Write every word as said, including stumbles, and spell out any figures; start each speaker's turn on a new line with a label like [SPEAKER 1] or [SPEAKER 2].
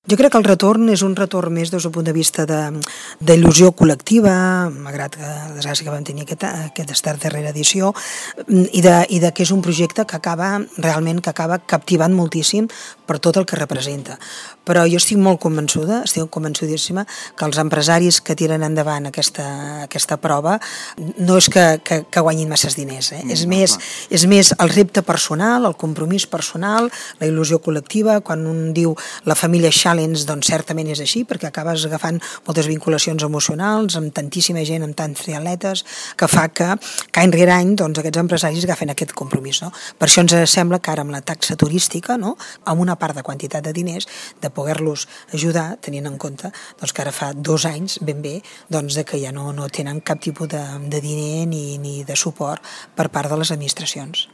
[SPEAKER 1] Jo crec que el retorn és un retorn més des del punt de vista d'il·lusió col·lectiva, malgrat que la desgràcia que vam tenir aquest, aquesta darrera edició, i de, i de que és un projecte que acaba realment que acaba captivant moltíssim per tot el que representa. Però jo estic molt convençuda, estic convençudíssima que els empresaris que tiren endavant aquesta, aquesta prova no és que, que, que guanyin masses diners, eh? Mm, és, més, és més el repte personal, el compromís personal, la il·lusió col·lectiva. Quan un diu la família Challenge, doncs certament és així, perquè acabes agafant moltes vinculacions emocionals amb tantíssima gent, amb tants triatletes, que fa que, que any rere any doncs, aquests empresaris agafen aquest compromís. No? Per això ens sembla que ara amb la taxa turística, no? Amb una part de quantitat de diners, de poder-los ajudar, tenint en compte doncs, que ara fa dos anys ben bé doncs, de que ja no, no tenen cap tipus de, de diner ni, ni de suport per part de les administracions.